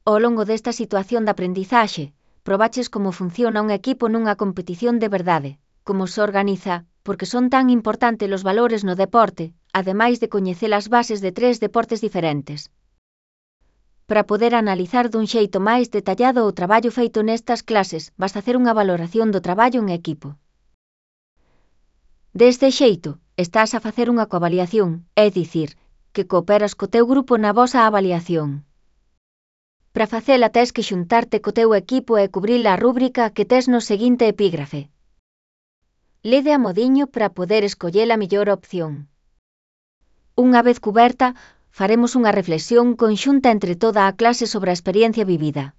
Ao longo desta situación de aprendizaxe, probaches como funciona un equipo nunha competición de verdade, como se organiza, porque son tan importantes os valores no deporte, ademais de coñecer as bases de 3 deportes diferentes. Para poder analizar dun xeito máis detallado o traballo feito nestas clases, vas facer unha valoración do traballo en equipo. Deste xeito, estás a facer unha coavaliación, é dicir, que cooperas co teu grupo na vosa avaliación. Para facela tes que xuntarte co teu equipo e cubrir a rúbrica que tes no seguinte epígrafe. Lede a modiño para poder escoller a mellor opción. Unha vez cuberta, faremos unha reflexión conxunta entre toda a clase sobre a experiencia vivida.